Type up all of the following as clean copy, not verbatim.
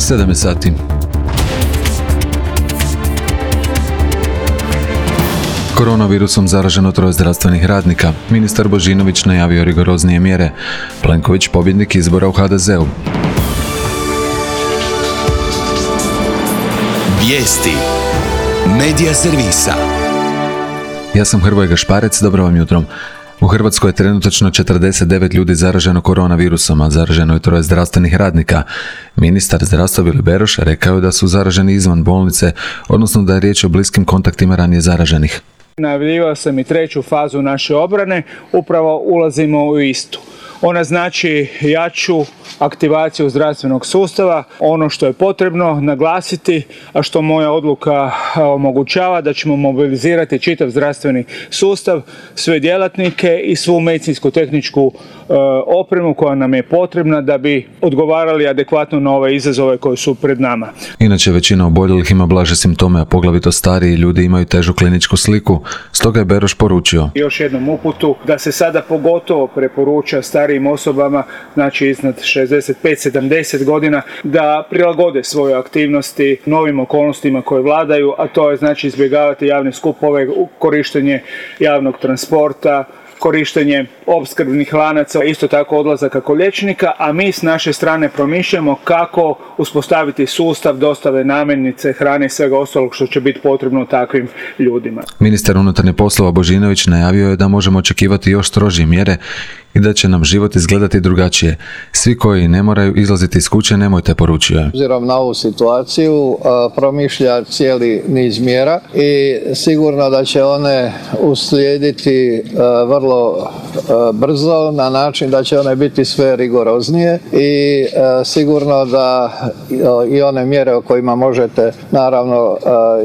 7 sati. Koronavirusom zaraženo 3 zdravstvenih radnika. Ministar Božinović najavio rigoroznije mjere. Plenković pobjednik izbora u HDZ-u. Vijesti Medija servisa. Ja sam Hrvoje Gašparec, dobro vam jutro. U Hrvatskoj je trenutačno 49 ljudi zaraženo koronavirusom, a zaraženo je 3 zdravstvenih radnika. Ministar zdravstva Vili Beroš rekao je da su zaraženi izvan bolnice, odnosno da je riječ o bliskim kontaktima ranije zaraženih. Najavljivao sam i 3. fazu naše obrane, upravo ulazimo u istu. Ona znači jaču aktivaciju zdravstvenog sustava, ono što je potrebno naglasiti, a što moja odluka omogućava, da ćemo mobilizirati čitav zdravstveni sustav, sve djelatnike i svu medicinsku-tehničku opremu koja nam je potrebna da bi odgovarali adekvatno na ove izazove koji su pred nama. Inače, većina oboljelih ima blaže simptome, a poglavito stariji ljudi imaju težu kliničku sliku, stoga je Beroš poručio. Još jednom uputu da se sada pogotovo preporuča starijim osobama, znači iznad 65-70 godina, da prilagode svoje aktivnosti novim okolnostima koje vladaju, a to je znači izbjegavati javne skupove, korištenje javnog transporta, korištenje opskrbnih lanaca, isto tako odlazaka kod liječnika, a mi s naše strane promišljamo kako uspostaviti sustav dostave namirnice, hrane i svega ostalog što će biti potrebno takvim ljudima. Ministar unutarnjih poslova Božinović najavio je da možemo očekivati još strožije mjere i da će nam život izgledati drugačije. Svi koji ne moraju izlaziti iz kuće, nemojte, poručio je. Obzirom na ovu situaciju promišlja cijeli niz mjera i sigurno da će one uslijediti vrlo brzo na način da će one biti sve rigoroznije i sigurno da i one mjere o kojima možete naravno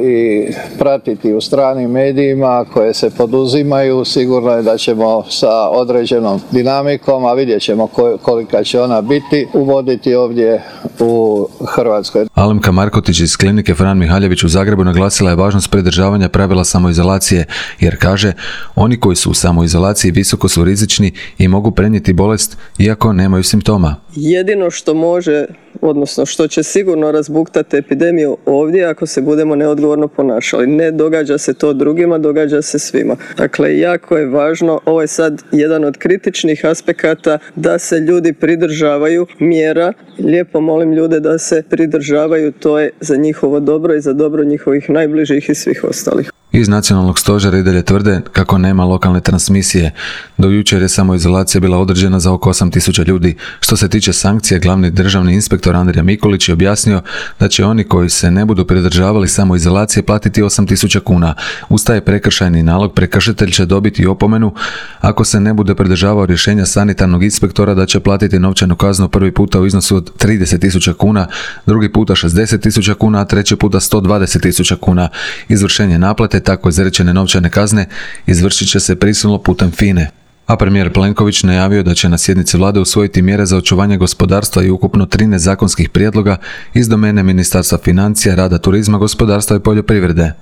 i pratiti u stranim medijima koje se poduzimaju, sigurno je da ćemo sa određenom dinamikom, a vidjet ćemo kolika će ona biti, uvoditi ovdje u Hrvatskoj. Alemka Markotić iz klinike Fran Mihaljević u Zagrebu naglasila je važnost pridržavanja pravila samoizolacije, jer kaže, oni koji su u samoizolaciji visoko su rizični i mogu prenijeti bolest iako nemaju simptoma. Jedino što može, odnosno što će sigurno razbuktati epidemiju ovdje ako se budemo neodgovorno ponašali. Ne događa se to drugima, događa se svima. Dakle, jako je važno, ovo je sad jedan od kritičnih aspekata, da se ljudi pridržavaju mjera. Lijepo molim ljude da se pridržavaju, to je za njihovo dobro i za dobro njihovih najbližih i svih ostalih. Iz nacionalnog stožera i dalje tvrde kako nema lokalne transmisije. Do jučer je samoizolacija bila određena za oko 8.000 ljudi. Što se tiče sankcija, glavni državni inspektor Andrija Mikulić je objasnio da će oni koji se ne budu pridržavali samoizolacije platiti 8.000 kuna. Uz taj prekršajni nalog prekršitelj će dobiti opomenu ako se ne bude pridržavao rješenja sanitarnog inspektora da će platiti novčanu kaznu prvi puta u iznosu od 30.000 kuna, drugi puta 60.000 kuna, a treći puta 120.000 kuna. Izvršenje naplate tako izrečene novčane kazne izvršit će se prisilno putem FINA-e. A premijer Plenković najavio da će na sjednici vlade usvojiti mjere za očuvanje gospodarstva i ukupno 13 zakonskih prijedloga iz domene Ministarstva financija, rada, turizma, gospodarstva i poljoprivrede.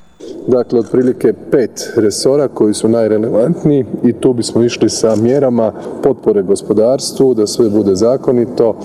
Dakle, otprilike 5 resora koji su najrelevantniji i tu bismo išli sa mjerama potpore gospodarstvu, da sve bude zakonito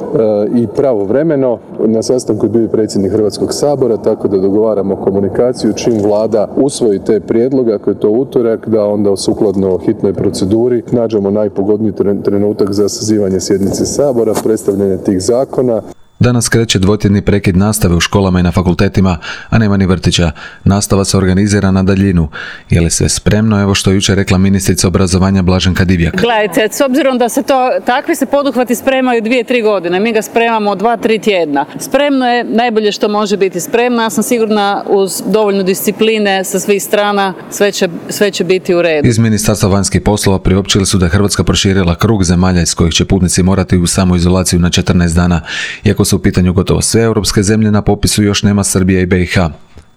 i pravovremeno. Na sastanku je bio predsjednik Hrvatskog sabora, tako da dogovaramo komunikaciju čim vlada usvoji te prijedloge, ako je to utorak, da onda sukladno hitnoj proceduri nađemo najpogodniji trenutak za sazivanje sjednice sabora, predstavljanje tih zakona. Danas kreće dvotjedni prekid nastave u školama i na fakultetima, a nema ni vrtića. Nastava se organizira na daljinu. Je li sve spremno? Evo što je jučer rekla ministrica obrazovanja Blaženka Divjak. Gledajte, s obzirom da se takvi se poduhvati spremaju 2-3 godine, mi ga spremamo 2-3 tjedna. Spremno je najbolje što može biti spremno. Ja sam sigurna uz dovoljno discipline sa svih strana sve će biti u redu. Iz Ministarstva vanjskih poslova priopćili su da je Hrvatska proširila krug zemalja iz kojih će putnici morati u samoizolaciju na 14 dana. Iako su u pitanju gotovo sve europske zemlje, na popisu još nema Srbija i BiH.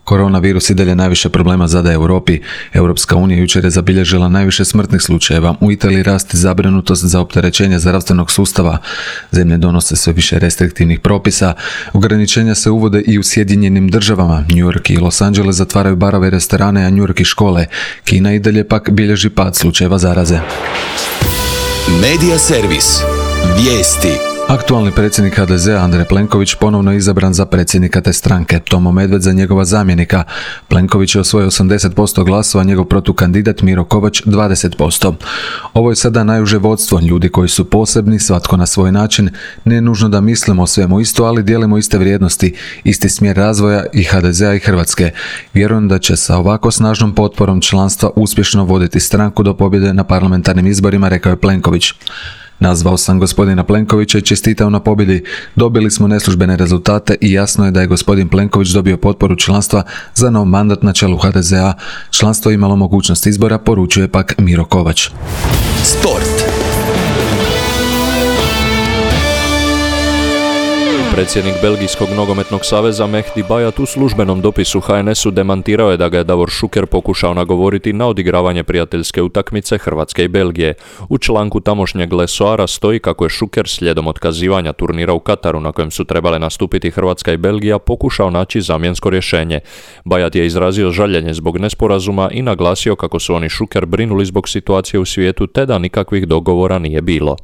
Koronavirus i dalje najviše problema zadaje Europi. Europska unija jučer je zabilježila najviše smrtnih slučajeva. U Italiji raste zabrinutost za opterećenje zdravstvenog sustava. Zemlje donose sve više restriktivnih propisa. Ograničenja se uvode i u Sjedinjenim državama. New York i Los Angeles zatvaraju barove i restorane, a New York i škole. Kina i dalje pak bilježi pad slučajeva zaraze. Medija servis. Vijesti. Aktualni predsjednik HDZ-a Andrej Plenković ponovno je izabran za predsjednika te stranke, Tomo Medved za njegova zamjenika. Plenković je osvojio 80% glasova, njegov protukandidat Miro Kovač 20%. Ovo je sada najuže vodstvo, ljudi koji su posebni, svatko na svoj način, ne nužno da mislimo o svemu isto, ali dijelimo iste vrijednosti, isti smjer razvoja i HDZ-a i Hrvatske. Vjerujem da će sa ovako snažnom potporom članstva uspješno voditi stranku do pobjede na parlamentarnim izborima, rekao je Plenković. Nazvao sam gospodina Plenkovića i čestitao na pobjedi. Dobili smo neslužbene rezultate i jasno je da je gospodin Plenković dobio potporu članstva za nov mandat na čelu HDZ-a. Članstvo je imalo mogućnost izbora, poručuje pak Miro Kovač. Sport. Predsjednik Belgijskog nogometnog saveza Mehdi Bayat u službenom dopisu HNS-u demantirao je da ga je Davor Šuker pokušao nagovoriti na odigravanje prijateljske utakmice Hrvatske i Belgije. U članku tamošnjeg Lesoara stoji kako je Šuker slijedom otkazivanja turnira u Kataru na kojem su trebale nastupiti Hrvatska i Belgija pokušao naći zamjensko rješenje. Bayat je izrazio žaljenje zbog nesporazuma i naglasio kako su oni Šuker brinuli zbog situacije u svijetu te da nikakvih dogovora nije bilo.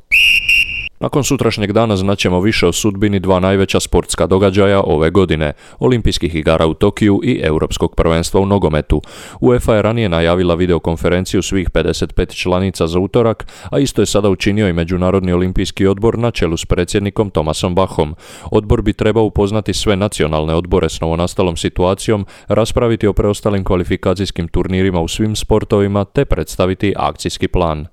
Nakon sutrašnjeg dana znaćemo više o sudbini dva najveća sportska događaja ove godine, Olimpijskih igara u Tokiju i Europskog prvenstva u nogometu. UEFA je ranije najavila videokonferenciju svih 55 članica za utorak, a isto je sada učinio i Međunarodni olimpijski odbor na čelu s predsjednikom Thomasom Bachom. Odbor bi trebao upoznati sve nacionalne odbore s novonastalom situacijom, raspraviti o preostalim kvalifikacijskim turnirima u svim sportovima te predstaviti akcijski plan.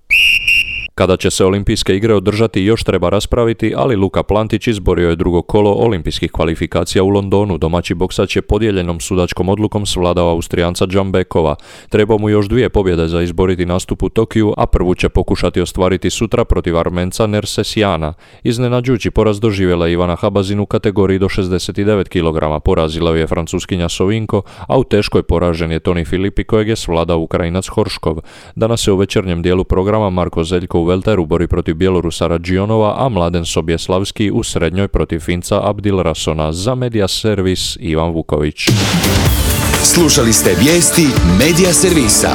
Kada će se olimpijske igre održati još treba raspraviti, ali Luka Plantić izborio je drugo kolo olimpijskih kvalifikacija u Londonu. Domaći boksač je podijeljenom sudačkom odlukom svladao Austrijanca Džambekova. Treba mu još 2 pobjede za izboriti nastup u Tokiju, a prvu će pokušati ostvariti sutra protiv Armenca Nersesijana. Iznenađujući poraz doživjela Ivana Habazin u kategoriji do 69 kg. Porazila je Francuskinja Sovinko, a u teškoj poražen je Toni Filipi kojeg je svladao Ukrajinac Horškov. Danas se u večernjem dijelu programa Marko Zeljko u welteru bori protiv Bjelorusa Radžionova, a Mladen Sobjeslavski u srednjoj protiv Finca Abdil Rasona. Za Media Servis Ivan Vuković. Slušali ste vijesti Media Servisa.